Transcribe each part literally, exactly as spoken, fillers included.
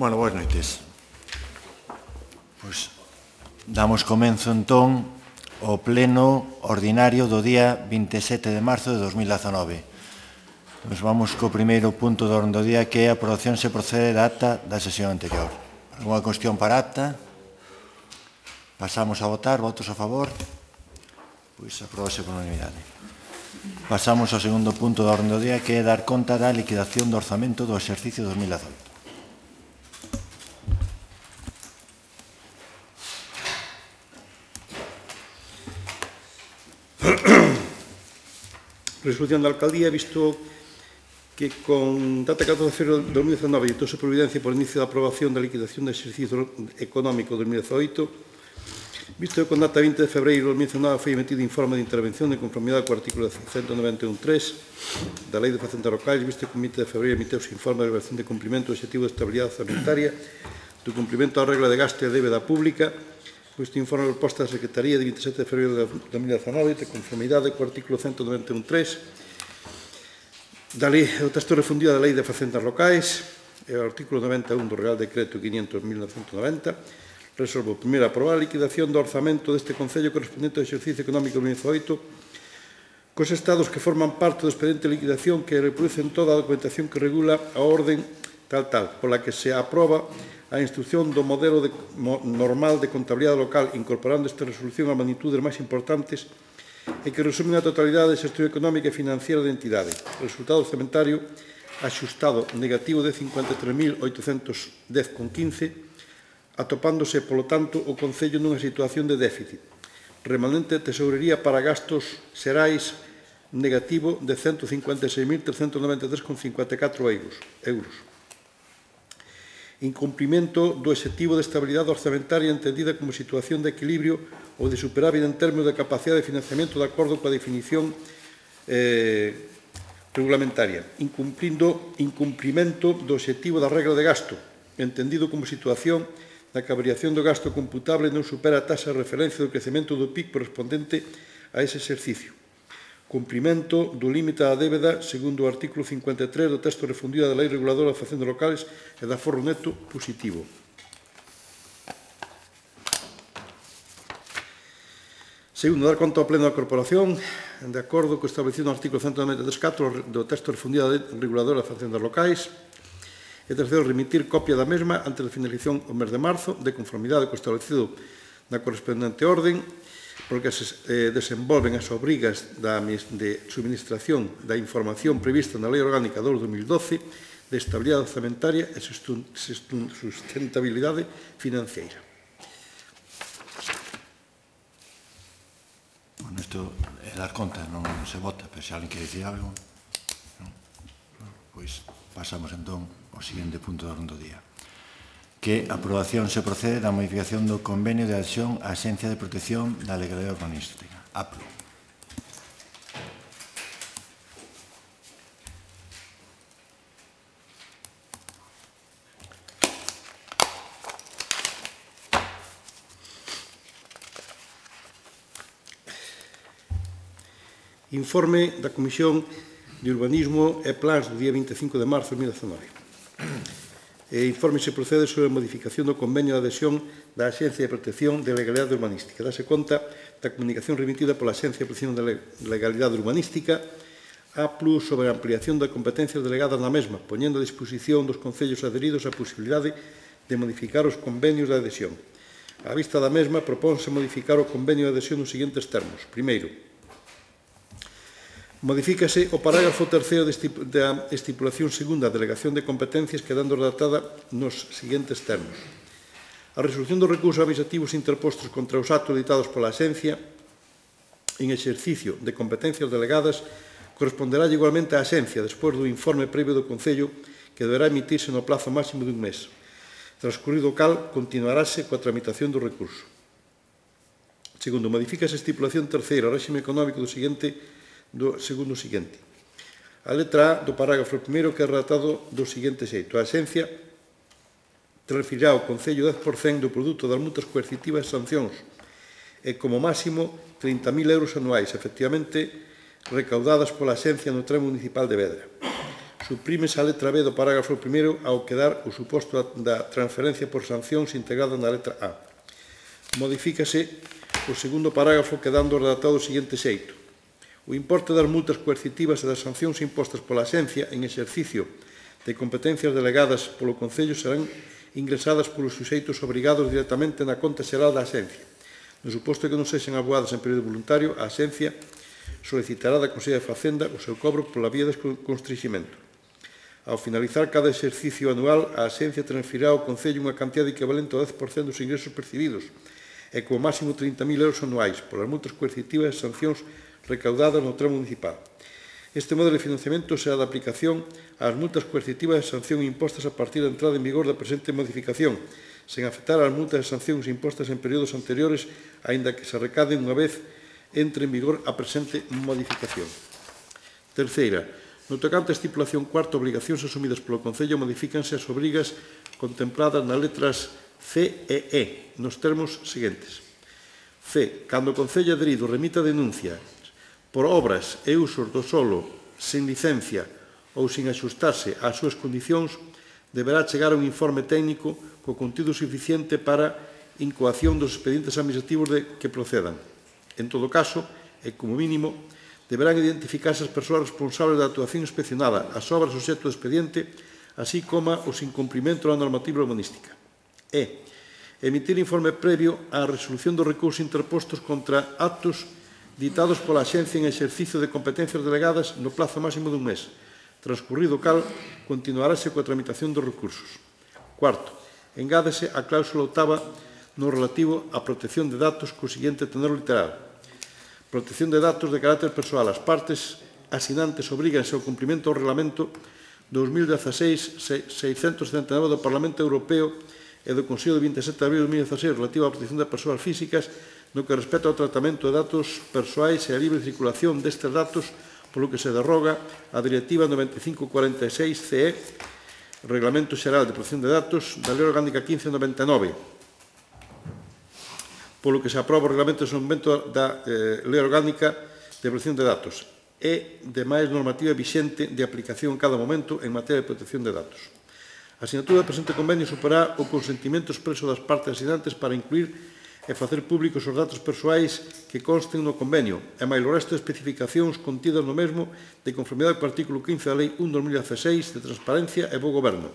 Bueno, boas noites. Pois damos comenzo entón ao pleno ordinario do día vinte e sete de marzo de dos mil dezanove. Nos vamos co primeiro punto do orden do día, que é a aprobación se procede da acta da sesión anterior. Alguna cuestión para a acta? Pasamos a votar. Votos a favor? Pois aprobase por unanimidade. Pasamos ao segundo punto do orden do día, que é dar conta da liquidación do orzamento do exercicio dos mil dezaoito. Resolución da Alcaldía, visto que con data catorce de febreiro de dos mil dezanove ditouse providencia por inicio da aprobación da liquidación do exercicio económico de dos mil dezaoito, visto que con data vinte de febreiro de dos mil dezanove foi emitido informe de intervención de conformidade co artículo ciento noventa e un punto tres da Lei de Facendas Locais, visto que con vinte de febreiro emiteuse informe de evaluación de cumprimento do objetivo de estabilidade orzamentaria do cumprimento da regla de gasto e débeda pública. Este informe de proposta da Secretaría de vinte e sete de febreiro de dos mil dezanove, de conformidade co artículo ciento noventa e un punto tres da lei, do texto refundido da Lei de Facendas Locais e o artículo noventa e un do Real Decreto quinhentos barra mil novecentos e noventa, resolvo primeiro aprobar a liquidación do orzamento deste Concello correspondente ao exercicio económico dos mil dezaoito cos estados que forman parte do expediente de liquidación que reproducen toda a documentación que regula a orden tal tal, pola que se aproba a instrucción do modelo de, mo, normal de contabilidade local, incorporando esta resolución a magnitudes máis importantes e que resumen a totalidade da xestión económica e financiera da entidade. O resultado orzamentario axustado negativo de cincuenta e tres mil oitocentos dez coma quince, atopándose, polo tanto, o Concello nunha situación de déficit. Remanente de tesourería para gastos xerais negativo de ciento cincuenta e seis mil trescentos noventa e tres coma cincuenta e catro euros. Incumprimento do objetivo de estabilidade orzamentaria entendida como situación de equilibrio ou de superávit en términos de capacidade de financiamento de acordo coa definición eh, regulamentaria. Incumplindo, incumprimento do objetivo da regla de gasto, entendido como situación da que a variación do gasto computable non supera a taxa de referencia do crecemento do P I B correspondente a ese exercicio. Cumprimento do límite da débeda segundo o artículo cincuenta e tres do texto refundido da Lei Reguladora de Facendas Locales e da aforro neto positivo. Segundo, dar conta ao Pleno da Corporación, de acordo co establecido no artículo ciento noventa e tres punto catro do texto refundido da Lei Reguladora de Facendas Locais. E terceiro, remitir copia da mesma antes da finalización do mes de marzo, de conformidade co establecido na correspondente orden, porque se eh, desenvolven as obrigas da, de suministración da información prevista na Lei Orgánica dos dos mil doce de estabilidade orzamentaria e sustentabilidade financiera. Bueno, isto é dar conta, non se vota, pero se alguén quere dicir algo, non? Pois pasamos entón ao seguinte punto do orden do día, que a aprobación se procede da modificación do convenio de adhesión á Axencia de Protección da Legalidade Urbanística, A P L U. Informe da Comisión de Urbanismo e Plans do día vinte e cinco de marzo de dos mil dezanove. E informe se procede sobre a modificación do convenio de adhesión da Axencia de Protección de Legalidade Urbanística. Dase conta da comunicación remitida pola Axencia de Protección de Legalidade Urbanística A P L U sobre a ampliación das competencias delegadas na mesma, poñendo a disposición dos concellos adheridos a posibilidade de modificar os convenios de adhesión. A vista da mesma, propónse modificar o convenio de adhesión nos seguintes termos. Primeiro, modifícase o parágrafo terceiro da estipulación segunda da delegación de competencias, quedando redactada nos seguintes termos. A resolución dos recursos administrativos interpostos contra os actos ditados pola Axencia en exercicio de competencias delegadas corresponderá igualmente á Axencia despois do informe previo do Concello, que deberá emitirse no plazo máximo dun mes. Transcurrido o cal, continuarase coa tramitación do recurso. Segundo, modifícase a estipulación terceira ao réxime económico do seguinte do segundo seguinte. A letra A do parágrafo primeiro que é redactado do seguinte xeito. A Axencia transferirá ao Concello dez por cento do produto das multas coercitivas e sancións e, como máximo, trinta mil euros anuais, efectivamente recaudadas pola Axencia no tramo municipal de Vedra. Suprímese a letra B do parágrafo primeiro ao quedar o suposto da transferencia por sancións integrada na letra A. Modifícase o segundo parágrafo quedando redactado do seguinte xeito. O importe das multas coercitivas e das sancións impostas pola Axencia en exercicio de competencias delegadas polo Concello serán ingresadas polos suxeitos obrigados directamente na conta xeral da Axencia. No suposto que non sexan aboadas en período voluntario, a Axencia solicitará da Consellería de Facenda o seu cobro pola vía de constriximento. Ao finalizar cada exercicio anual, a Axencia transferirá ao Concello unha cantidade equivalente ao dez por cento dos ingresos percibidos e como máximo trinta mil euros anuais polas multas coercitivas e sancións recaudadas no tramo municipal. Este modelo de financiamento será de aplicación ás multas coercitivas e sanción impostas a partir da entrada en vigor da presente modificación, sen afectar ás multas e sancións impostas en períodos anteriores, aínda que se recaden unha vez entre en vigor a presente modificación. Terceira, no tocante a estipulación cuarta, obrigacións asumidas polo Concello modifícanse as obrigas contempladas nas letras C e E, nos termos seguintes. C. Cando o Concello adherido remita denuncia por obras e usos do solo sen licencia ou sin axustarse ás súas condicións, deberá chegar un informe técnico co contido suficiente para incoación dos expedientes administrativos de que procedan. En todo caso, e como mínimo, deberán identificarse as persoas responsables da actuación inspeccionada, as obras obxecto do expediente, así como os incumprimentos da normativa urbanística. E. Emitir informe previo á resolución dos recursos interpostos contra actos ditados pola Axencia en exercicio de competencias delegadas no plazo máximo dun mes, transcurrido o cal, continuarase coa tramitación dos recursos. Cuarto, engádese a cláusula octava no relativo á protección de datos co seguinte tenor literal. Protección de datos de carácter persoal. As partes asinantes obríganse ao cumprimento do Reglamento dos mil dieciséis seiscentos setenta e nove do Parlamento Europeo e do Consello de vinte e sete de abril de dos mil dieciséis relativo á protección de persoas físicas no que respecta ao tratamento de datos persoais e a libre circulación destes datos, polo que se derroga a Directiva noventa e cinco cuarenta e seis C E, Reglamento Xeral de Protección de Datos, da Lei Orgánica quince noventa e nove, polo que se aproba o Reglamento de Desenvolvemento da eh, Lei Orgánica de Protección de Datos e demais normativa vixente de aplicación en cada momento en materia de protección de datos. A asinatura do presente convenio suporá o consentimento expreso das partes asinantes para incluir e facer públicos os datos persoais que consten no convenio e máis o resto de especificacións contidas no mesmo de conformidade co artículo quince da Lei un barra dos mil dieciséis de Transparencia e Bo Goberno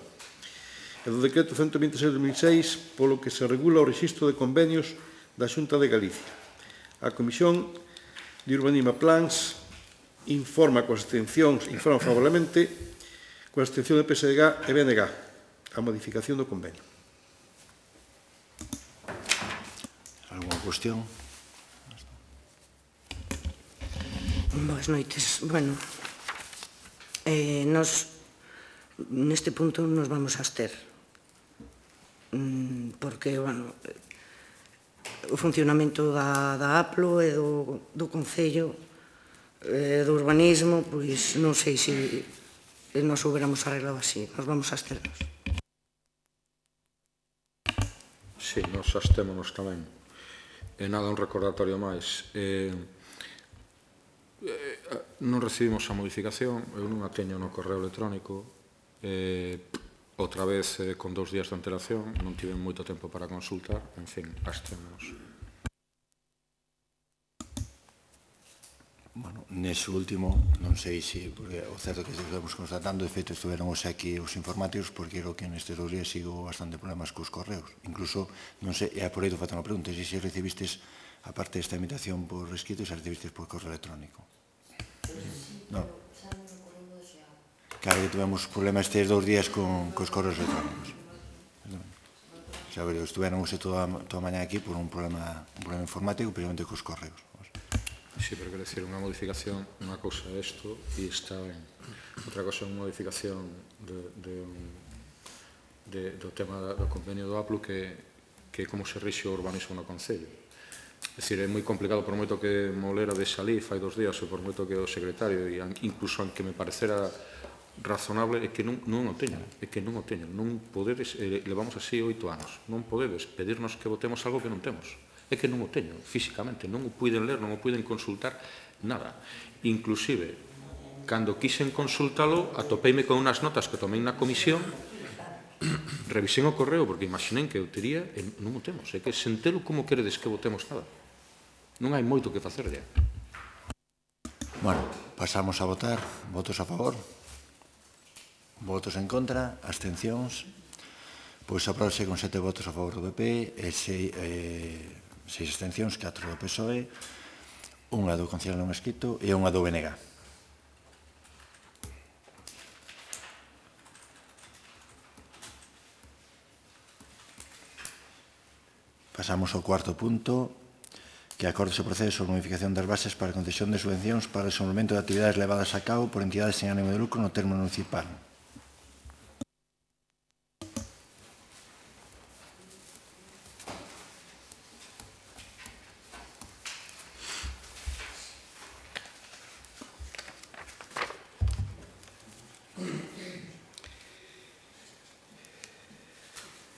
e do Decreto ciento vinte e seis de dos mil seis polo que se regula o rexistro de convenios da Xunta de Galicia. A Comisión de Urbanismo e Plans informa coas abstencións, informa favorablemente coa abstención de P S D G e B N G a modificación do convenio. Alguna cuestión? Boas noites. Bueno, eh, nos neste punto nos vamos a abster porque, bueno, o funcionamento da, da A P L O e do, do Concello e do Urbanismo, pois non sei se nos hubiéramos arreglado así. Nos vamos a absternos. Sí, nos abstémonos tamén. E nada, un recordatorio máis. Eh, eh, non recibimos a modificación, eu non a teño no correo electrónico. Eh, outra vez, eh, con dous días de antelación, non tive moito tempo para consultar. En fin, abstémonos. Bueno, nese último, non sei se, porque o certo que estamos constatando, de feito, estiveron os aquí os informáticos, porque creo que nestes dous días sigo bastante problemas cos correos. Incluso, non sei, e por aí te falta unha pregunta, se se recibistes, aparte desta invitación por escrito, se recibistes por correo electrónico. Non. Claro que tivemos problemas estes dous días con cos correos electrónicos. Xa ver, estiveron toda a mañá aquí por un problema informático, principalmente cos correos. Sí, pero quero dicir, unha modificación, unha cousa é isto e está ben. Outra cousa é unha modificación de, de, de, do tema do convenio do A P L O que, que é como se rixe o urbanismo no Concello. É dicir, é moi complicado, por moito que Molera de Salí fai dos días, ou por moito que o secretario, e incluso aunque me parecera razonable, é que non, non o teñen, é que non o teñen. Non podedes, eh, levamos así oito anos, non podedes pedirnos que votemos algo que non temos. É que non o teño, físicamente, non o puiden ler, non o puiden consultar, nada. Inclusive, cando quixen consultalo, atopeime con unhas notas que tomei na comisión, revisei o correo, porque imaginei que eu tería, e non o temos, é que sentelo como queredes que votemos nada. Non hai moito que facer ya. Bueno, pasamos a votar. Votos a favor? Votos en contra? Abstencións? Pois apróbase con sete votos a favor do P P e seis, eh, seis abstencións, catro do P S O E, unha do Concello non escrito e unha do B N G. Pasamos ao cuarto punto, que acorde se procede sobre a modificación das bases para a concesión de subvencións para o desenvolvemento de actividades levadas a cabo por entidades sen ánimo de lucro no termo municipal.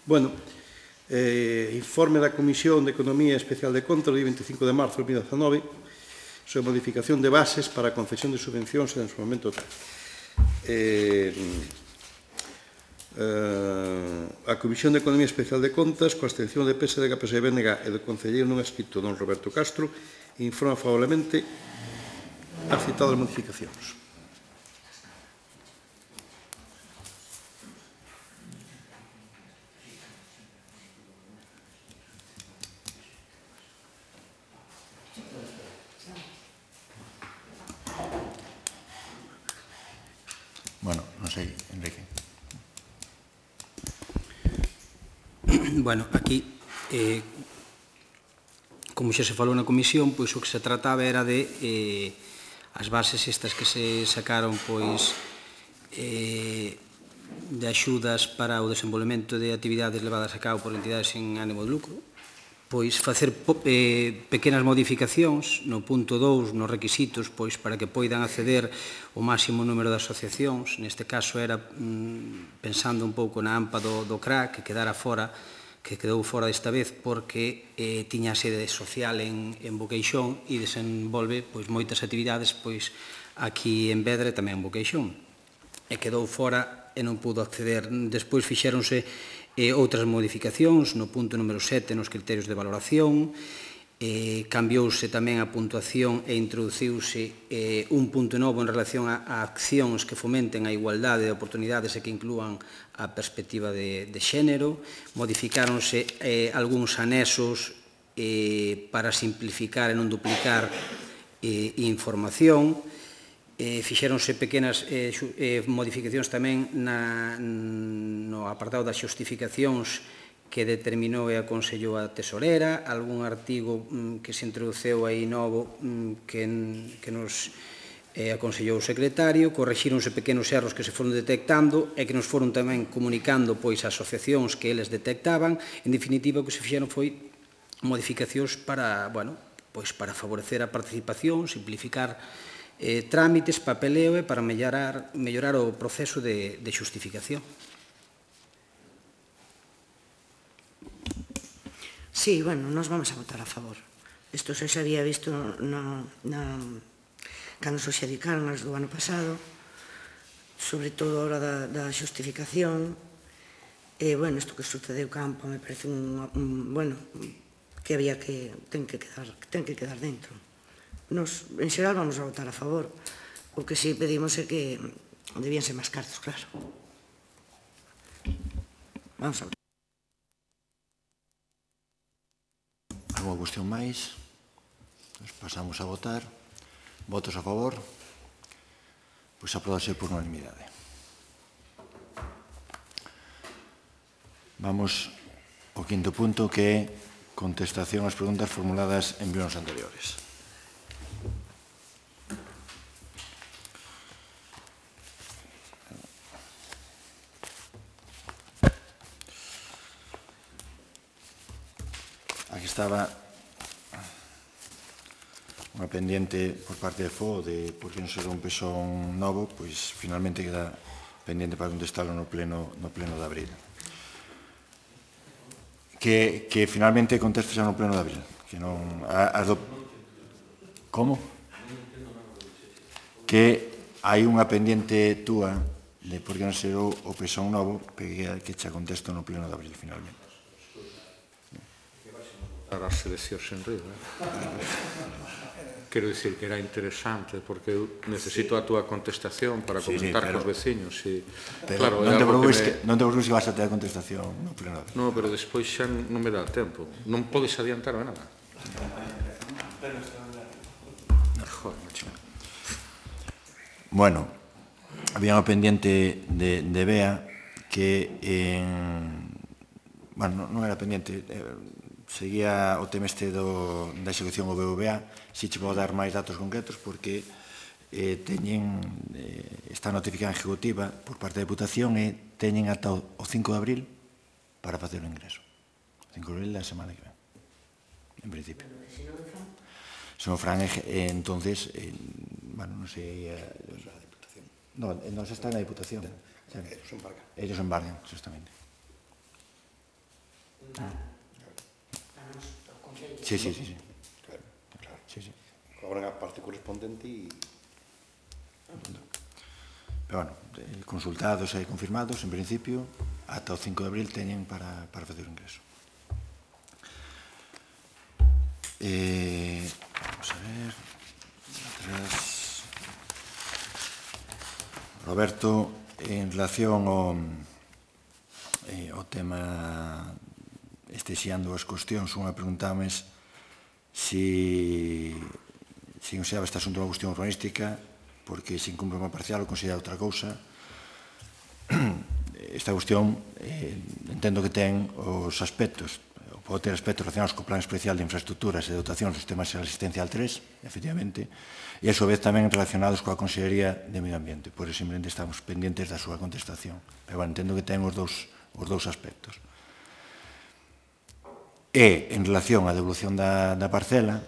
Bueno, eh, informe da Comisión de Economía Especial de Contas, do veinticinco de marzo de dos mil dezanove, sobre modificación de bases para a concesión de subvencións en su momento. Eh, eh, a Comisión de Economía Especial de Contas, coa abstención de P S D G, P S B N G e do concelleiro non escrito don Roberto Castro, informa favorablemente as citadas modificacións. Bueno, non sei, Enrique. Bueno, aquí, eh, como xa se falou na comisión, pois o que se trataba era de eh, as bases estas que se sacaron, pois, eh, de axudas para o desenvolvemento de actividades levadas a cabo por entidades sen ánimo de lucro, pois facer eh, pequenas modificacións no punto dous, nos requisitos, pois para que poidan acceder o máximo número de asociacións. Neste caso era mm, pensando un pouco na AMPA do, do C R A, que quedara fora, que quedou fora desta vez porque eh, tiña sede social en, en Boqueixón e desenvolve pois, moitas actividades pois, aquí en Vedra e tamén en Boqueixón. E quedou fora e non pudo acceder. Despois fixéronse eh, outras modificacións no punto número sete nos criterios de valoración, eh, cambiouse tamén a puntuación e introduciuse eh, un punto novo en relación a, a accións que fomenten a igualdade de oportunidades e que inclúan a perspectiva de, de xénero, modificáronse eh, algúns anexos eh, para simplificar e non duplicar eh, información, Eh, fixéronse pequenas eh, eh, modificacións tamén na, no apartado das xustificacións que determinou e aconsellou a tesorera, algún artigo mm, que se introduceu aí novo mm, que, que nos eh, aconsellou o secretario, correxíronse pequenos erros que se foron detectando e que nos foron tamén comunicando pois as asociacións que eles detectaban. En definitiva, o que se fixeron foi modificacións para, bueno, pois para favorecer a participación, simplificar Eh, trámites, papeleo e para mellorar, mellorar o proceso de, de xustificación. Sí, bueno, nos vamos a votar a favor. Isto se xa había visto na, na, cando se xadicaron as do ano pasado, sobre todo a hora da, da xustificación. E, bueno, isto que sucedeu campo me parece un, un bueno, que había que, ten que quedar, ten que quedar dentro. Nos, en xeral, vamos a votar a favor. O que sí pedimos é que debían ser máis cartos, claro. Vamos a votar. Alguna cuestión máis? Pues pasamos a votar. Votos a favor? Pois apróbase por unanimidade. Vamos ao quinto punto, que é contestación ás preguntas formuladas en plenos anteriores. Aquí estaba unha pendiente por parte de F O de por que non se rompe son novo, pois finalmente queda pendiente para contestarlo no pleno, no pleno de abril. Que, que finalmente conteste xa no pleno de abril. Que non, a, a do, como? Que hai unha pendiente túa de por que non ser o Pesón Novo, que che contesto no pleno de abril, finalmente. Para as seleccións en Río, eh? Quero dicir que era interesante, porque eu necesito a túa contestación para comentar cos veciños. Pero non te preocupes que vas a ter a contestación no pleno. Non, pero despois xa non me dá tempo. Non podes adiantarme nada. Joder, macho. Bueno, había unha pendiente de Bea que, bueno, non era pendiente, seguía o tema este da execución O B V A, si che vou dar máis datos concretos, porque teñen esta notificación ejecutiva por parte da Deputación e teñen ata o cinco de abril para facer o ingreso. O cinco de abril da semana que ven, en principio. Se non fran, entonces, bueno, non sei... No, non se está na Diputación. Ellos embargan, justamente. Sí, sí, sí. Cobran a parte correspondente e... Pero, bueno, consultados e confirmados, en principio, ata o cinco de abril teñen para facer o ingreso. Vamos a ver... Roberto, en relación ao tema este xeando as cuestións, unha preguntames se consideraba este asunto unha cuestión urbanística porque se incumpre unha parcial ou considera outra cousa. Esta cuestión entendo que ten os aspectos, pode ter aspectos relacionados co Plan Especial de Infraestructuras e Dotación do Sistema Asistencial tres, efectivamente, e a su vez tamén relacionados coa Consellería de Medio Ambiente. Por eso simplemente estamos pendientes da súa contestación. Pero bueno, entendo que ten os dous aspectos. E, en relación á devolución da parcela,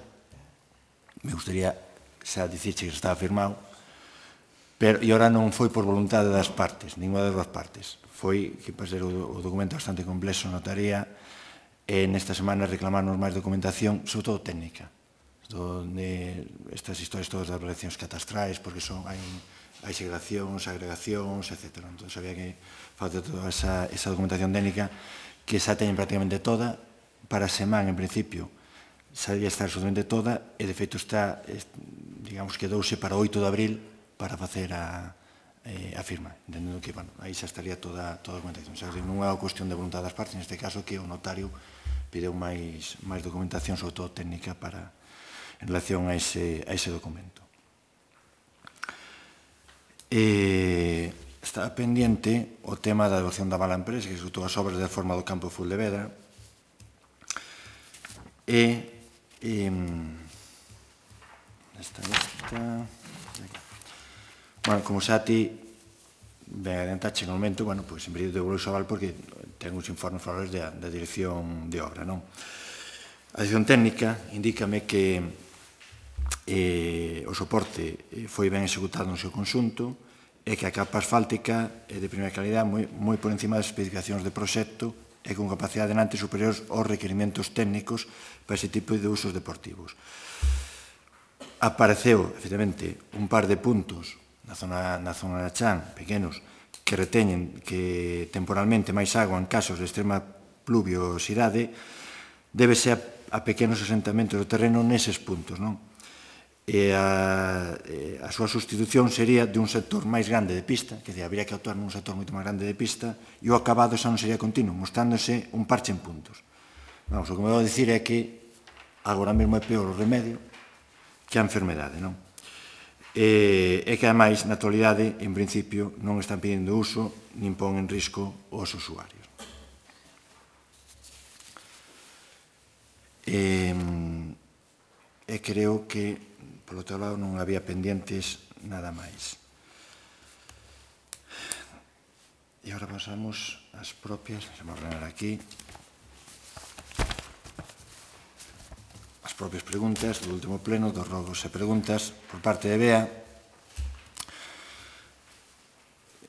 me gustaría xa dicirche que estaba firmado, e ora non foi por voluntade das partes, ninguna das dúas partes. Foi que, para ser o documento bastante complexo, notaría, e nesta semana reclamarnos máis documentación, sobre todo técnica, de estas historias todas das relacións catastrais, porque son hai segregacións, agregacións, etcétera. Entón, había que facer toda esa documentación técnica que xa teñen prácticamente toda. Para a semana, en principio, xa debía estar absolutamente toda, e de feito está, digamos, quedouse para o oito de abril para facer a firma, entendendo que, bueno, aí xa estaría toda a documentación. Non é unha cuestión de voluntade das partes, neste caso, que o notario pideu máis documentación, sobre todo técnica, para en relación a ese documento. Estaba pendiente o tema da devolución da mala empresa, que executou as obras de reforma do campo de Fuldevedra, e esta, esta... Bueno, como xa ti ben adiantache no momento, bueno, pois en principio devolvo o aval porque ten uns informes favorables da dirección de obra, non? A dirección técnica indícame que o soporte foi ben executado no seu conxunto e que a capa asfáltica é de primeira calidad, moi por encima das especificacións de proxecto e con capacidade de nantes superiores aos requerimentos técnicos para ese tipo de usos deportivos. Apareceu, efectivamente, un par de puntos na zona da Chan, pequenos, que reteñen que temporalmente máis agua en casos de extrema pluviosidade, débese a pequenos asentamentos do terreno neses puntos, non? E a súa sustitución sería de un sector máis grande de pista, que habría que actuar nun sector moito máis grande de pista, e o acabado xa non sería continuo, mostrándose un parche en puntos. Vamos, o que me vou dicir é que agora mesmo é peor o remedio que a enfermedade, non? E que, ademais, na actualidade, en principio, non están pedindo uso nin pon en risco os usuarios. E creo que, polo teu lado, non había pendientes nada máis. E agora pasamos ás propias, vamos a ordenar aquí, as propias preguntas do último pleno, dos rogos e preguntas por parte de Bea.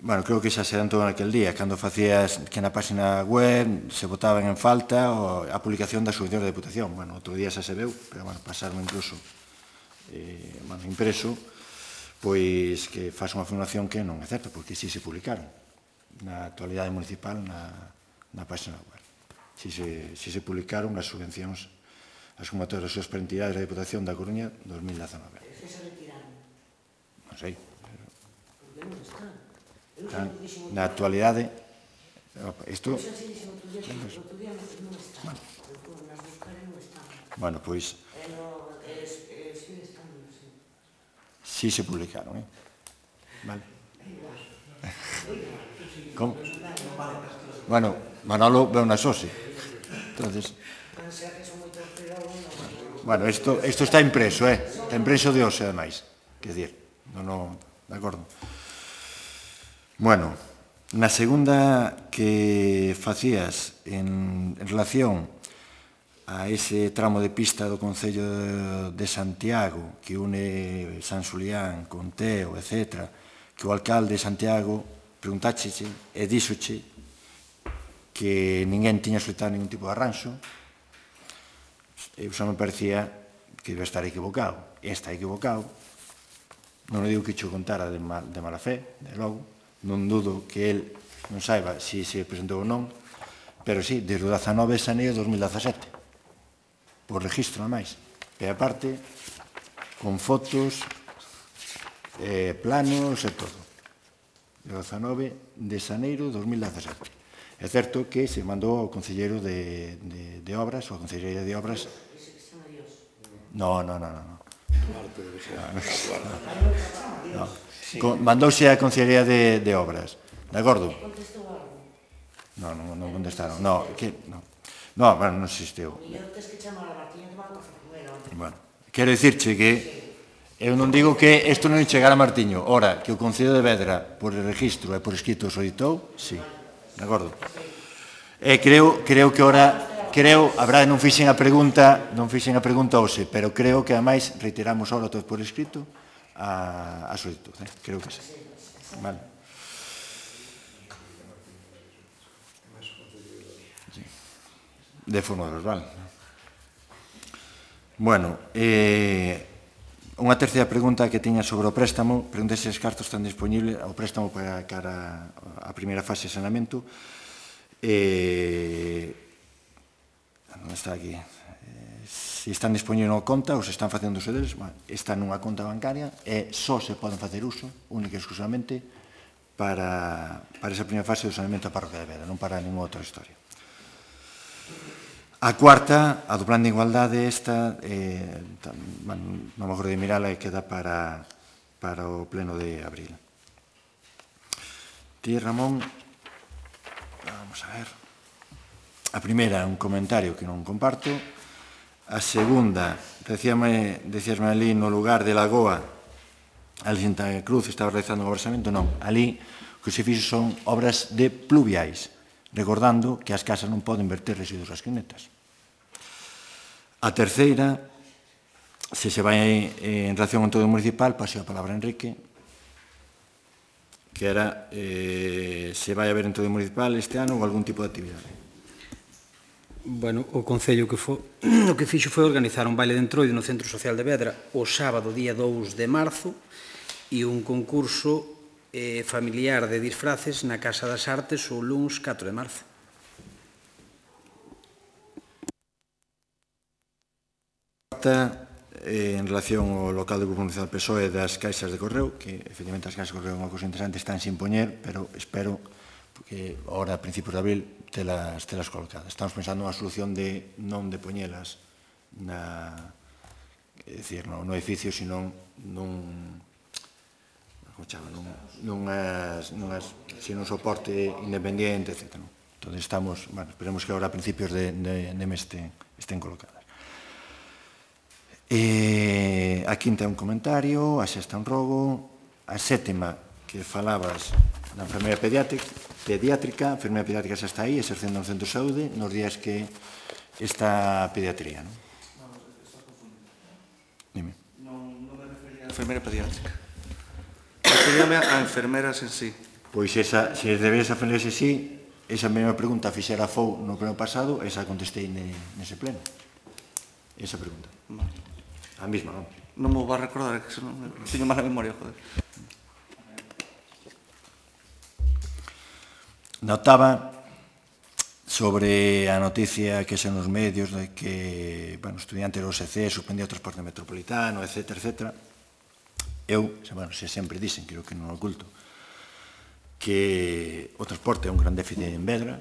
Bueno, creo que xa se adelantou naquel día, cando facías que na página web se botaban en falta a publicación das subvencións da Deputación. Bueno, outro día xa se veu, pero, bueno, pasaron incluso impreso, pois que faz unha afirmación que non é certa, porque si se publicaron na actualidade municipal na, na página web. Si se, si se publicaron as subvencións, as convocatorias das entidades da Diputación da Coruña dos mil dezanove. Que se retiraron? Non sei. Porque non están. Están na actualidade, isto... Eu xa se dixen outro día, outro día non están. Nas buscaré non están. Bueno, pois... E no, e sigue estando, sí. Si se publicaron, eh? Vale. Como? Bueno, Manolo veu na Sose. Entonces... Bueno, isto, isto está impreso, eh? Está impreso de hoxe, ademais. Quer dizer, non, non, de acordo. Bueno, na segunda que facías en, en relación a ese tramo de pista do Concello de Santiago que une San Xulián con Teo, etcétera, que o alcalde de Santiago preguntácheche e díxoche que ninguén tiña solicitado ningún tipo de arranxo, eu xa me parecía que iba a estar equivocado. E está equivocado. Non digo que xo contara de, mal, de mala fe, de logo. Non dudo que el non saiba se se presentou ou non, pero sí, desde o dezanove de xaneiro de dos mil dezasete. Por registro, ademais. E aparte, con fotos, eh, planos e todo. De dezanove de xaneiro de dos mil dezasete. É certo que se mandou ao Concelleiro de, de, de Obras, ou a Concellería de Obras... No, no, no, no. no. no. no. Mandouse a Concellería de, de Obras. De acordo? No, non, non contestaron. No, que... No, no bueno, non existiu. Bueno, quero dicirche que eu non digo que isto non chegar a Martiño. Ora, que o Concello de Vedra, por registro e por escrito, solicitou, sí. De acordo? E creo, creo que ora, creo, a verdade non fixen a pregunta, non fixen a pregunta hoxe, pero creo que ademais reiteramos ora todo por escrito a, a solicitud, eh? Creo que sí. Vale. Sí. De forma verbal. Bueno, eh, unha terceira pregunta que tiña sobre o préstamo, pregunta se os cartos están disponibles, o préstamo para cara a primeira fase de saneamento. Eh, onde está aquí? Eh, se están disponibles na conta ou se están facendo uso deles, bueno, está nunha conta bancaria e só se poden facer uso, única e exclusivamente, para, para esa primeira fase do saneamento da parroquia de Vedra, non para ninguna outra historia. A cuarta, a do plan de igualdade, esta, eh, bueno, non me acordo de mirala e queda para, para o pleno de abril. Ti, Ramón, vamos a ver. A primeira, un comentario que non comparto. A segunda, decíame, decíasme ali no lugar de Lagoa, ali en Santa Cruz estaba realizando un obrasamento, non. Ali o que se fixo son obras de pluviais, recordando que as casas non poden verter residuos ás quinetas. A terceira, se se vai en relación con todo o municipal, paseo a palabra a Enrique, que era eh, se vai haber en todo o municipal este ano ou algún tipo de actividade. Bueno, o Concello que fo, o que fixo foi organizar un baile de entroido no Centro Social de Vedra o sábado día dous de marzo e un concurso eh, familiar de disfraces na Casa das Artes o luns catro de marzo. Eh, en relación ao local do Grupo Municipal P S O E das caixas de correo, que efectivamente as caixas de correo é unha cousa interesante, están sin poñer, pero espero que ahora a principios de abril telas, telas colocadas. Estamos pensando unha solución de non de poñelas na, é dicir, no, no edificio, sino nun como chama, nun, nunhas, nunhas, sino un soporte independiente, etcétera. ¿no? Entón estamos, bueno, esperemos que ahora a principios de, de, de mes estén, estén colocadas. Eh, a quinta é un comentario, a sexta un rogo, a sétima que falabas da enfermería pediátrica, pediátrica, a enfermería pediátrica xa está aí, exercendo no centro de saúde, nos días que está a pediatría, non? Dime. Non, non me refería a enfermería pediátrica. Referíame a enfermeras en sí. Pois esa, se deberes a enfermeras en sí, esa mesma pregunta fixera a F O U no pleno pasado, esa contestei nese pleno. Esa pregunta. Vale. A mesma, non? non me vou a recordar, que se non teño mala memoria, joder. Notaba sobre a noticia que xa nos medios de que, bueno, estudiante do O S C suspendía o transporte metropolitano, etcétera, etcétera. Eu, bueno, se sempre dicen, creo que non oculto, que o transporte é un gran déficit en Vedra.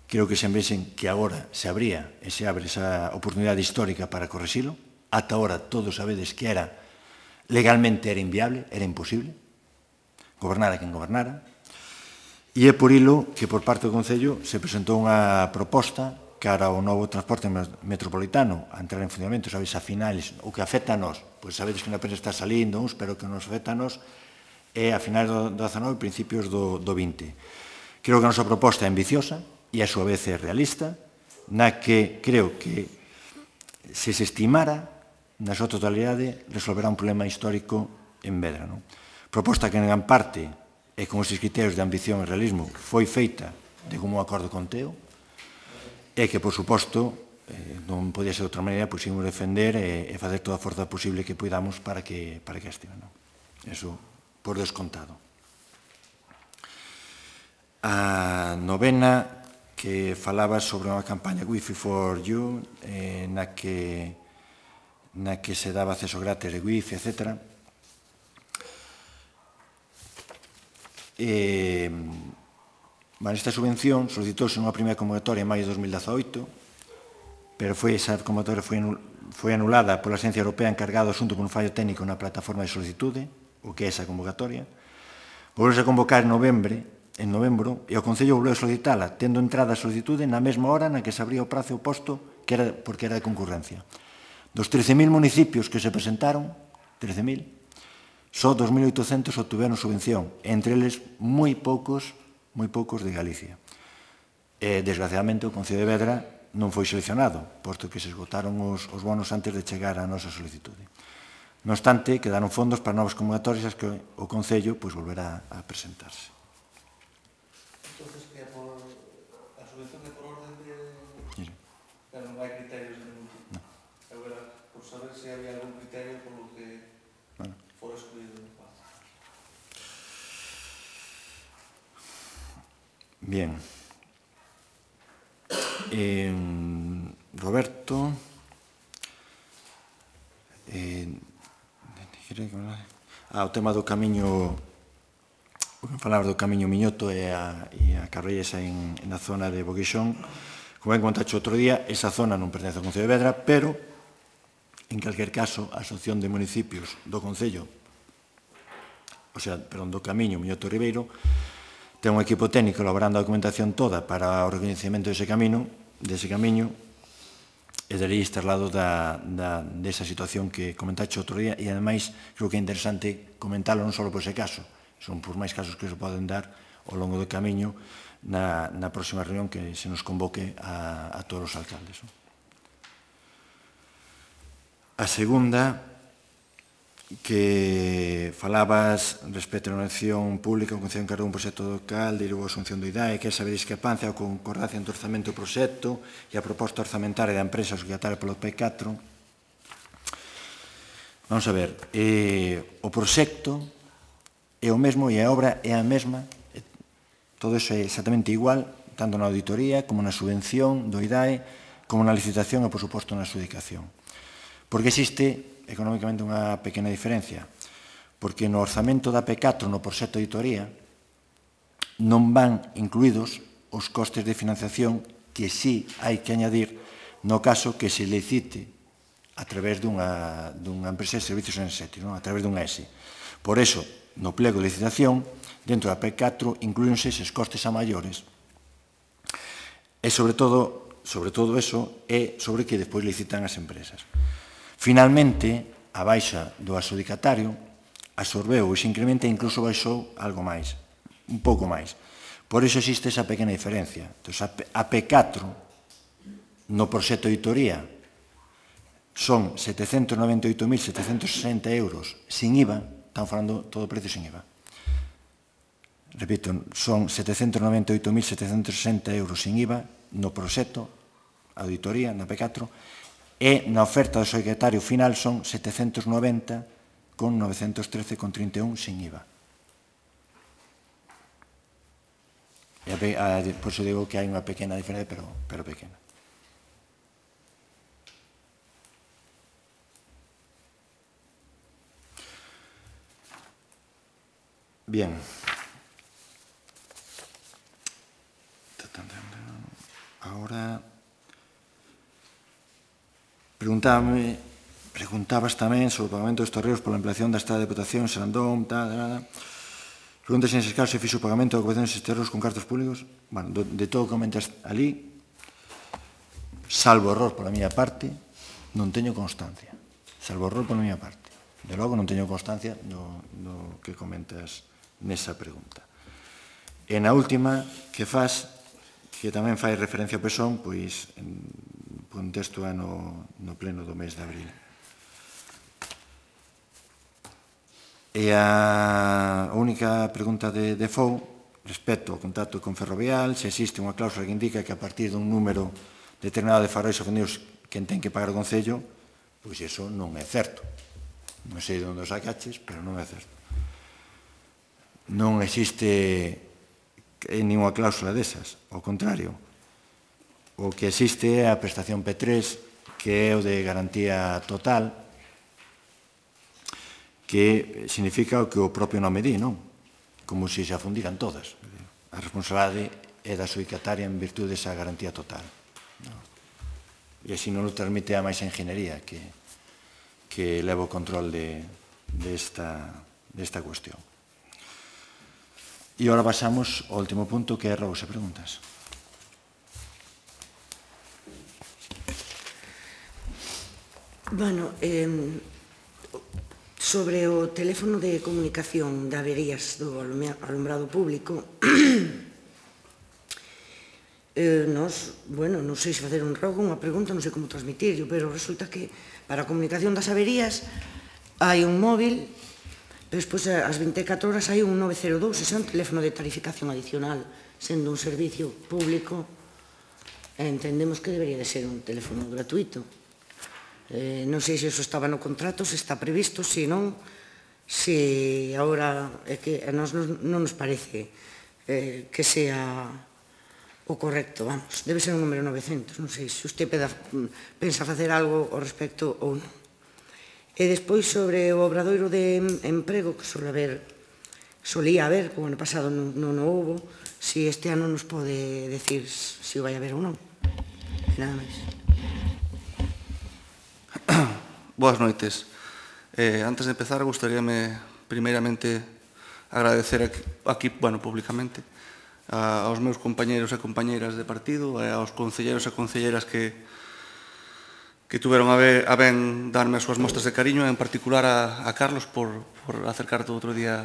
Creo que sempre dicen que agora se abría e se abre esa oportunidade histórica para correxilo. Ata agora todos sabedes que era legalmente era inviable, era imposible, gobernara quen gobernara. E é por ilo que por parte do Concello se presentou unha proposta cara ao novo transporte metropolitano a entrar en funcionamento, sabes, a finales, o que afecta a nós, pois sabedes que na prensa está salindo uns, pero que nos afecta a nós é a finales do dezanove e principios do, do vinte. Creo que a nosa proposta é ambiciosa e a súa vez é realista, na que creo que se se estimara na súa totalidade resolverá un problema histórico en Vedra. Non? Proposta que en gran parte e con estes criterios de ambición e realismo foi feita de común acordo con Teo e que, por suposto, eh, non podía ser de outra maneira, pois imos defender e, e facer toda a forza posible que podamos para que, para que estive. Non? Eso por descontado. A novena que falaba sobre unha campaña Wi-Fi for You eh, na que na que se daba acceso gratis de Wi-Fi, etcétera. Eh, bueno, esta subvención solicitouse nunha primeira convocatoria en maio de dos mil dezaoito, pero foi esa convocatoria foi, foi anulada pola Agencia Europea encargada do asunto por un fallo técnico na plataforma de solicitude, o que é esa convocatoria. Volveuse a convocar en novembro, en novembro e o Concello volveu a solicitala, tendo entrada a solicitude na mesma hora na que se abría o prazo oposto, que era, porque era de concurrencia. Dos trece mil municipios que se presentaron, trece mil, só dos mil oitocentos obtiveron subvención, entre eles moi poucos, moi poucos de Galicia. E, desgraciadamente, o Concello de Vedra non foi seleccionado, posto que se esgotaron os, os bonos antes de chegar á nosa solicitude. Non obstante, quedaron fondos para novas convocatorias que o Concello pois, volverá a presentarse. Entonces, que é por a subvención é por orden de... Sí. Pero non hai criterios de ningún tipo. Eu era por saber se había algún criterio por lo que Bueno. fora excluído. Bien. Eh, Roberto... Eh, ah, o tema do camiño... O que falaba do camiño Miñoto e a, e a carreira en, en a zona de Boguixón. Como ben contaxe outro día, esa zona non pertence ao Concello de Vedra, pero, en calquer caso, a Asociación de Municipios do Concello, o sea, perdón, do camiño Miñoto Ribeiro, ten un equipo técnico elaborando a documentación toda para o reconhecimento dese camiño, dese camiño, e daría este lado da, da, desa situación que comentaxe outro día, e, ademais, creo que é interesante comentarlo non só por ese caso, son por máis casos que se poden dar ao longo do camiño na, na próxima reunión que se nos convoque a, a todos os alcaldes. A segunda, que falabas respecto á elección pública, o Concello encargou un proxecto local, dirou a asunción do I D A E, que é saber discrepancia ou concordancia entre o orzamento do proxecto e a proposta orzamentaria da empresa societaria polo P catro. Vamos a ver, eh, o proxecto é o mesmo e a obra é a mesma, todo iso é exactamente igual, tanto na auditoría como na subvención do I D A E, como na licitación e, por suposto, na adjudicación. Porque existe económicamente unha pequena diferencia, porque no orzamento da P catro, no proxecto de auditoría, non van incluídos os costes de financiación que sí hai que añadir no caso que se licite a través dunha, dunha empresa de servicios enerxéticos, non? A través dun E S I. Por eso, no plego de licitación, dentro da P catro, incluíronse eses costes a maiores. E, sobre todo, sobre todo eso, é sobre que despois licitan as empresas. Finalmente, a baixa do adxudicatario absorbeu ese incremento e incluso baixou algo máis, un pouco máis. Por iso existe esa pequena diferencia. Entón, a P catro, no proxecto de auditoría, son setecentos noventa e oito mil setecentos sesenta euros sin I V A, estamos falando todo o precio sin I V A. Repito, son setecentos noventa e oito mil setecentos sesenta euros sin I V A no proxecto, auditoría, na P catro, e na oferta do secretario final son setecentos noventa con novecentos trece con trinta e un sin I V A. E a, a, por iso digo que hai unha pequena diferencia, pero, pero pequena. Bien. Ahora, preguntábame, preguntabas tamén sobre o pagamento dos torreos pola ampliación da estrada de Deputación, Serandón, tal, tal, tal. Preguntas en ese caso se fixo o pagamento da ocupación destes terreos con cartos públicos. Bueno, do, de todo o que comentas ali, salvo error pola miña parte, non teño constancia. Salvo error pola miña parte. De logo non teño constancia do, do que comentas nesa pregunta. E na última que faz, que tamén fai referencia ao P S O N, pois o contexto é no, no pleno do mes de abril. E a única pregunta de, de F O U, respecto ao contacto con Ferrovial, se existe unha cláusula que indica que a partir dun número determinado de farollos ofendidos quen ten que pagar o Concello, pois iso non é certo. Non sei de onde os sacaches, pero non é certo. Non existe ninguna cláusula desas, ao contrario. O que existe é a prestación P tres, que é o de garantía total, que significa o que o propio nome di, non? Como se se afundiran todas. A responsabilidade é da adxudicataria en virtude desa garantía total. E así non o transmite a máis enginería que, que leva o control de, de, esta, de esta cuestión. E agora pasamos ao último punto, que é robos e preguntas. Bueno, eh, sobre o teléfono de comunicación de averías do alumbrado público, eh, nos, bueno, non sei se facer un rogo, unha pregunta, non sei como transmitirlo, pero resulta que para a comunicación das averías hai un móvil. Despois, ás vinte e catro horas, hai un nove cero dous, ese é un teléfono de tarificación adicional, sendo un servicio público, entendemos que debería de ser un teléfono gratuito. Eh, non sei se iso estaba no contrato, se está previsto, se non, se agora é que a nós non nos parece eh, que sea o correcto, vamos, debe ser un número novecientos, non sei se usted pensa facer algo ao respecto ou non. E despois sobre o obradoiro de emprego que suele haber, solía haber, como ano pasado non o houbo, se este ano nos pode decir se o vai haber ou non. E nada máis. Boas noites. Eh, antes de empezar, gustaríame primeiramente agradecer aquí, aquí bueno, públicamente, a, aos meus compañeros e compañeiras de partido, e aos concelleros e concelleras que que tuveron a, ver, a ben darme as súas mostras de cariño, en particular a, a Carlos por, por acercarte outro día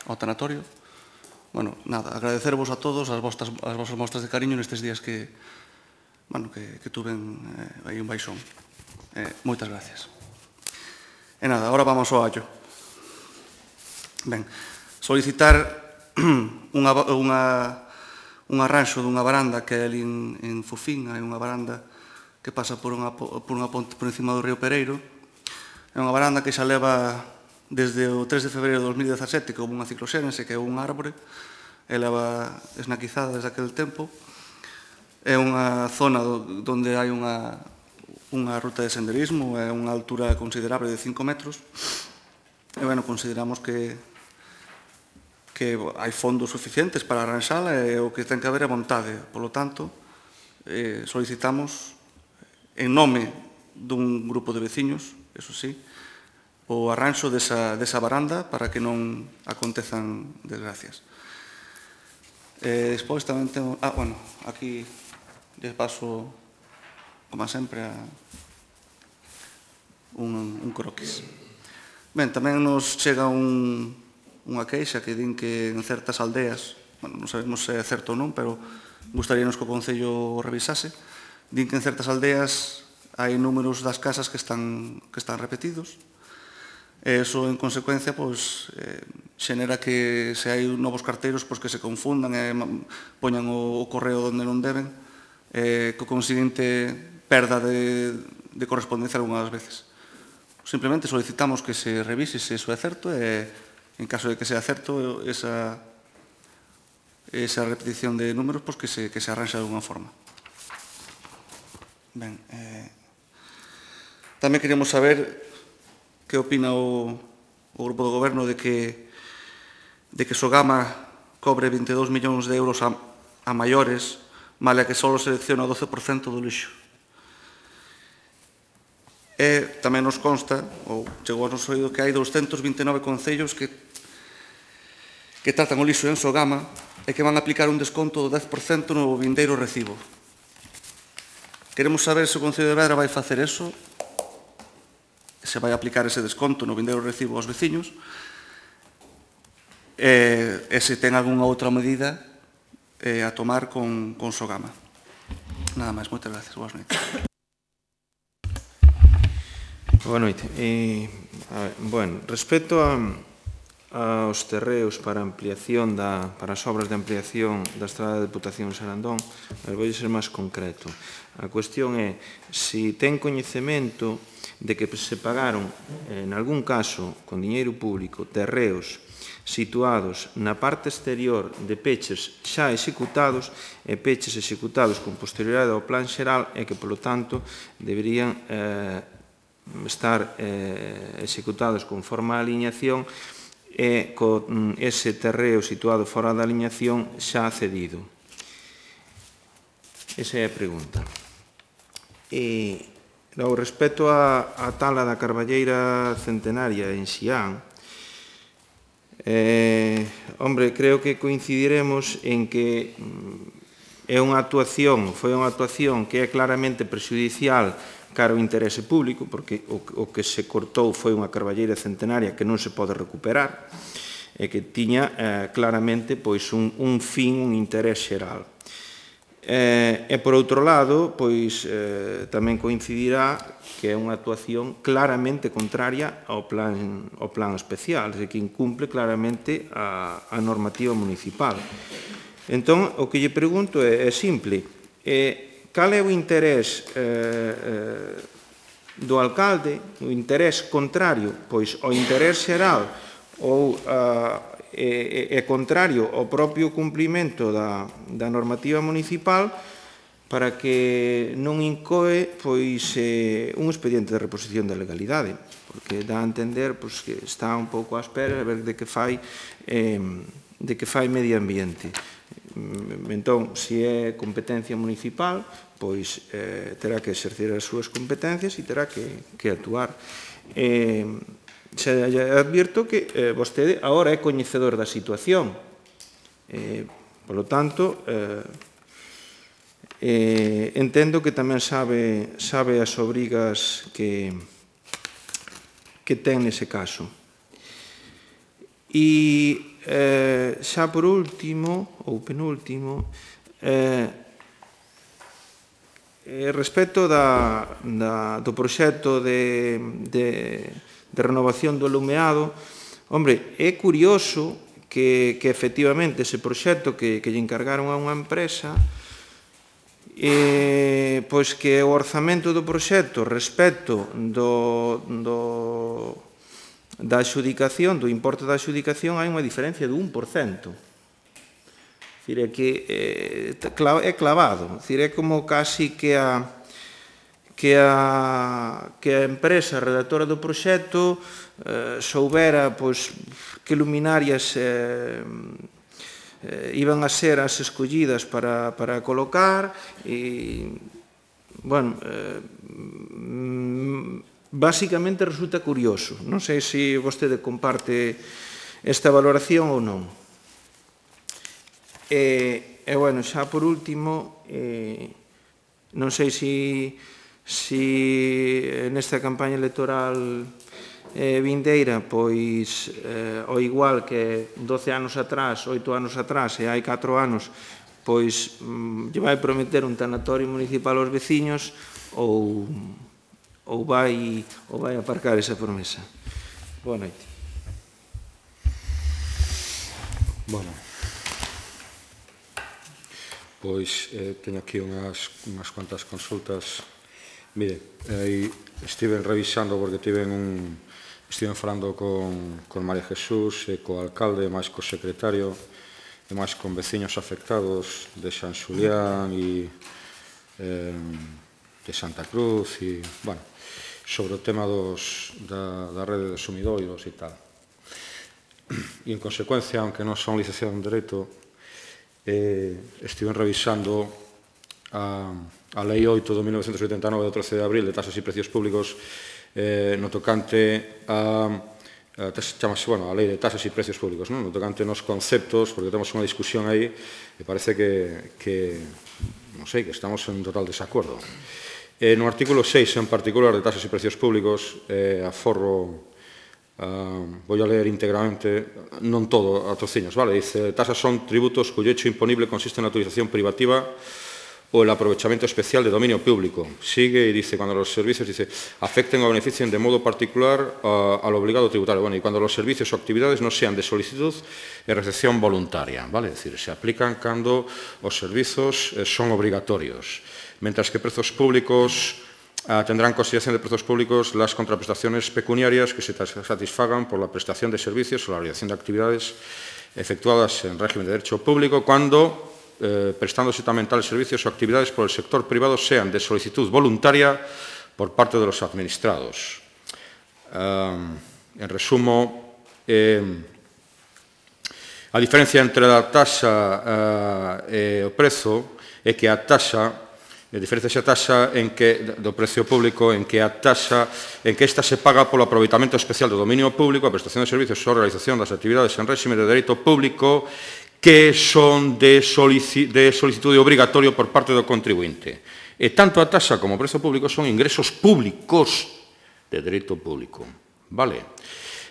ao tanatorio. Bueno, nada, agradecervos a todos as vosas, as vosas mostras de cariño nestes días que, bueno, que, que tuven eh, aí un baixón. Eh, moitas gracias. E nada, agora vamos ao allo. Ben, solicitar unha, unha, un arranxo dunha baranda que é ali en, en Fofín, hai unha baranda que pasa por unha, por unha ponte por encima do río Pereiro. É unha baranda que xa leva desde o tres de febreiro de dos mil dezasete, que houve unha cicloxénese, que é un árbore, e leva esnaquizada desde aquel tempo. É unha zona onde hai unha, unha ruta de senderismo, é unha altura considerable de cinco metros, e, bueno, consideramos que, que hai fondos suficientes para arranxala e o que ten que haber é vontade. Por lo tanto, eh, solicitamos en nome dun grupo de veciños, eso sí, o arranxo desa, desa baranda para que non acontezan desgracias. Eh, despois tamén temos... Ah, bueno, aquí les paso, como sempre, a un, un croquis. Ben, tamén nos chega un, unha queixa que din que en certas aldeas, bueno, non sabemos se é certo ou non, pero gustaríanos que o Concello revisase, din que en certas aldeas hai números das casas que están, que están repetidos, e iso, en consecuencia, pois, eh, xenera que se hai novos carteiros pois, que se confundan e poñan o, o correo onde non deben, eh, co conseguinte perda de, de correspondencia algunhas veces. Simplemente solicitamos que se revise se iso é certo e, en caso de que sea certo, esa, esa repetición de números, pues que se, que se arranxe de alguna forma. Ben, eh, tamén queríamos saber que opina o, o Grupo do Goberno de que, de que Sogama cobre vinte e dous millóns de euros a, a maiores, male a que só selecciona o doce por cento do lixo. E tamén nos consta, ou chegou a noso oído, que hai doscentos vinte e nove concellos que, que tratan o lixo en Sogama e que van a aplicar un desconto do dez por cento no vindeiro recibo. Queremos saber se o Concello de Vedra vai facer eso, se vai aplicar ese desconto no vindeiro recibo aos veciños, e, e se ten algunha outra medida eh, a tomar con, con Sogama. Nada máis, moitas gracias. Boas noites. Boa noite. E, a ver, bueno, respecto a, aos terreos para ampliación da, para as obras de ampliación da estrada de Deputación Sarandón, vou ser máis concreto. A cuestión é se ten coñecemento de que se pagaron, en algún caso, con diñeiro público, terreos situados na parte exterior de peches xa executados e peches executados con posterioridade ao plan xeral e que, polo tanto, deberían eh, estar eh, executados conforme a aliñación e con ese terreo situado fora da aliñación xa cedido. Esa é a pregunta. E, logo, respecto a, a tala da carballeira centenaria en Xián, eh, hombre, creo que coincidiremos en que é unha actuación, foi unha actuación que é claramente prexudicial cara ao interese público, porque o, o que se cortou foi unha carballeira centenaria que non se pode recuperar e que tiña eh, claramente pois, un, un fin, un interés xeral. Eh, e, por outro lado, pois, eh, tamén coincidirá que é unha actuación claramente contraria ao plan, ao plan especial, e que incumple claramente a, a normativa municipal. Entón, o que lle pregunto é, é simple. É, cal é o interés eh, eh, do alcalde, o interés contrario, pois, ao interés xeral ou a, é, é contrario ao propio cumprimento da, da normativa municipal para que non incoe pois, eh, un expediente de reposición da legalidade, porque dá a entender pois, que está un pouco á espera de ver de que fai, eh, de que fai medio ambiente. Entón, se é competencia municipal, pois eh, terá que exercer as súas competencias e terá que, que actuar. Eh, se advirto que eh, vostede agora é coñecedor da situación. Eh, por lo tanto, eh, eh, entendo que tamén sabe, sabe as obrigas que, que ten nese caso. E eh, xa por último, ou penúltimo, eh, respecto da, da, do proxecto de, de, de renovación do alumeado, hombre, é curioso que, que efectivamente ese proxecto que, que lle encargaron a unha empresa, eh, pois que o orzamento do proxecto respecto do, do, da adxudicación, do importe da adxudicación, hai unha diferencia do un por cento. É que é clavado, é como casi que a, que a, que a empresa redactora do proxecto eh, soubera pois, que luminarias eh, eh, iban a ser as escollidas para, para colocar e, bueno, eh, basicamente resulta curioso. Non sei se vostede comparte esta valoración ou non. E, e bueno, xa por último, eh, non sei se si, si nesta campaña electoral eh, vindeira, pois, eh, ao igual que doce anos atrás, oito anos atrás e hai catro anos, pois, mm, lle vai prometer un tanatorio municipal aos veciños ou, ou, vai, ou vai aparcar esa promesa. Boa noite. Bueno. Pois eh, teño aquí unhas, unhas cuantas consultas Mire, aí estiven revisando porque tiven un... Estiven falando con, con María Jesús e co alcalde, máis co secretario e máis con veciños afectados de San Xulián e eh, de Santa Cruz e, bueno, sobre o tema dos, da, da rede de sumidoiros e tal. E, en consecuencia, aunque non son licenciado en Dereito, eh, estiven revisando a, a Lei oito do mil novecentos oitenta e nove do trece de abril de tasas e precios públicos eh, no tocante a, a chamase, bueno, a Lei de tasas e precios públicos, non? No tocante nos conceptos, porque temos unha discusión aí e parece que, que non sei, que estamos en total desacuerdo. Eh, no artículo seis, en particular, de tasas e precios públicos, eh, aforro, uh, voy a leer íntegramente, non todo, a trociños, vale? Dice, tasas son tributos cuyo hecho imponible consiste en la utilización privativa o el aprovechamiento especial de dominio público. Sigue y dice, cuando los servicios, dice, afecten o beneficien de modo particular uh, al obligado tributario. Bueno, y cuando los servicios o actividades no sean de solicitud e recepción voluntaria, vale? Es decir, se aplican cando os servizos eh, son obligatorios. Mientras que precios públicos uh, tendrán consideración de precios públicos las contraprestaciones pecuniarias que se satisfagan por la prestación de servicios o la realización de actividades efectuadas en régimen de derecho público cuando Eh, prestándose tamén tales servicios o actividades por el sector privado sean de solicitud voluntaria por parte de los administrados. Um, en resumo, eh, a diferencia entre a taxa uh, e o prezo é que a taxa, a diferencia xa taxa en que, do precio público en que a taxa, en que esta se paga polo aproveitamento especial do dominio público, a prestación de servicios ou realización das actividades en réxime de dereito público que son de, solici de solicitude obrigatorio por parte do contribuinte. E tanto a taxa como o prezo público son ingresos públicos de dereito público. Vale?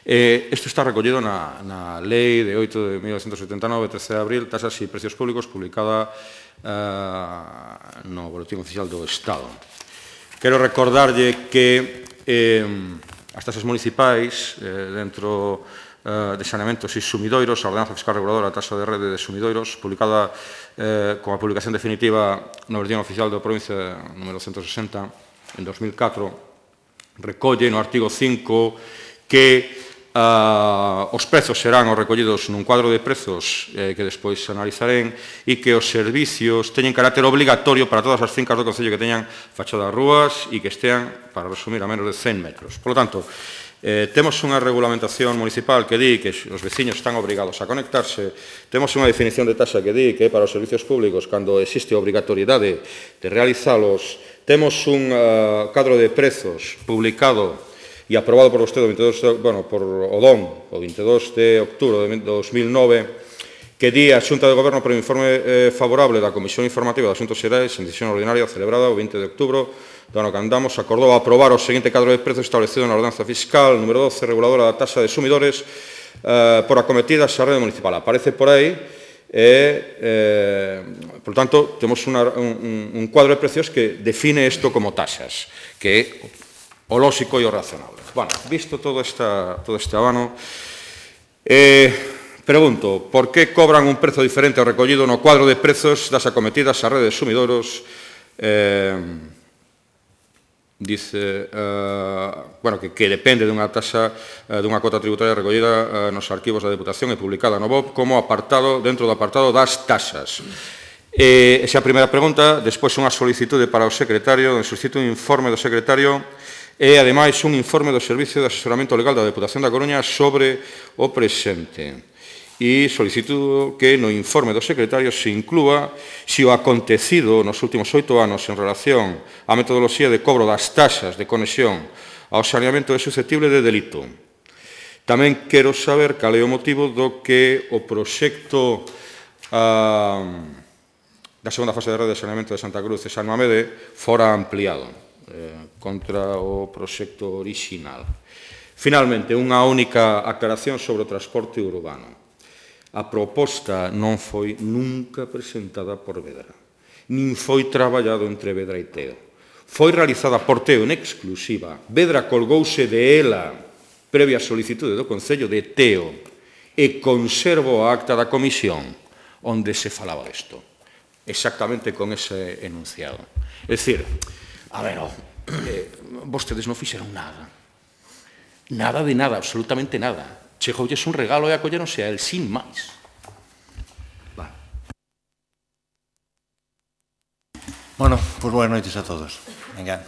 Eh, isto está recollido na, na Lei de oito de mil novecentos setenta e nove, trece de abril, tasas e precios públicos, publicada eh, no Boletín Oficial do Estado. Quero recordarlle que eh, as tasas municipais eh, dentro de saneamentos e sumidoiros, a Ordenanza Fiscal Reguladora, a tasa de rede de sumidoiros, publicada eh, con a publicación definitiva no Boletín Oficial da Provincia número ciento sesenta en dos mil catro, recolle no artigo cinco que uh, os prezos serán os recollidos nun cuadro de prezos eh, que despois analizarén e que os servicios teñen carácter obligatorio para todas as fincas do Concello que teñan fachadas rúas e que estean, para resumir, a menos de cen metros. Por lo tanto, Eh, temos unha regulamentación municipal que di que os veciños están obrigados a conectarse, temos unha definición de taxa que di que para os servicios públicos, cando existe obrigatoriedade de realizalos, temos un uh, cadro de prezos publicado e aprobado por vostede o veintidós, bueno, por o D O M, o veintidós de outubro de dos mil nove, que di a Xunta de Goberno por informe eh, favorable da Comisión Informativa de Asuntos Xerais en decisión ordinaria celebrada o veinte de outubro do ano que andamos, acordou aprobar o seguinte cadro de prezos establecido na Ordenanza Fiscal número doce, reguladora da tasa de sumidores eh, por acometidas a rede municipal. Aparece por aí e, eh, por tanto, temos una, un, un cuadro de precios que define isto como tasas, que é o lóxico e o razonable. Bueno, visto todo, esta, todo este abano, eh, pregunto, por que cobran un prezo diferente ao recollido no cuadro de prezos das acometidas a rede de sumidoros? Eh, dice, uh, bueno, que, que depende dunha tasa, uh, dunha cota tributaria recollida uh, nos arquivos da Deputación e publicada no B O P como apartado, dentro do apartado das tasas. Eh, esa é a primeira pregunta. Despois unha solicitude para o secretario, onde solicito un informe do secretario e, ademais, un informe do Servicio de Asesoramento Legal da Deputación da Coruña sobre o presente. E solicito que no informe do secretario se inclúa se o acontecido nos últimos oito anos en relación á metodoloxía de cobro das taxas de conexión ao saneamento é susceptible de delito. Tamén quero saber cal é o motivo do que o proxecto uh, da segunda fase de rede de saneamento de Santa Cruz e San Mamede fora ampliado eh, contra o proxecto orixinal. Finalmente, unha única aclaración sobre o transporte urbano. A proposta non foi nunca presentada por Vedra, nin foi traballado entre Vedra e Teo. Foi realizada por Teo en exclusiva. Vedra colgouse de ela, previa solicitude do Concello de Teo, e conservo a acta da comisión onde se falaba disto, exactamente con ese enunciado. É dicir, a ver, eh, vostedes non fixeron nada. Nada de nada, absolutamente nada. Chegoulles un regalo e acolleronse a él, sin máis. Vale. Bueno, pois boas noites a todos. Venga.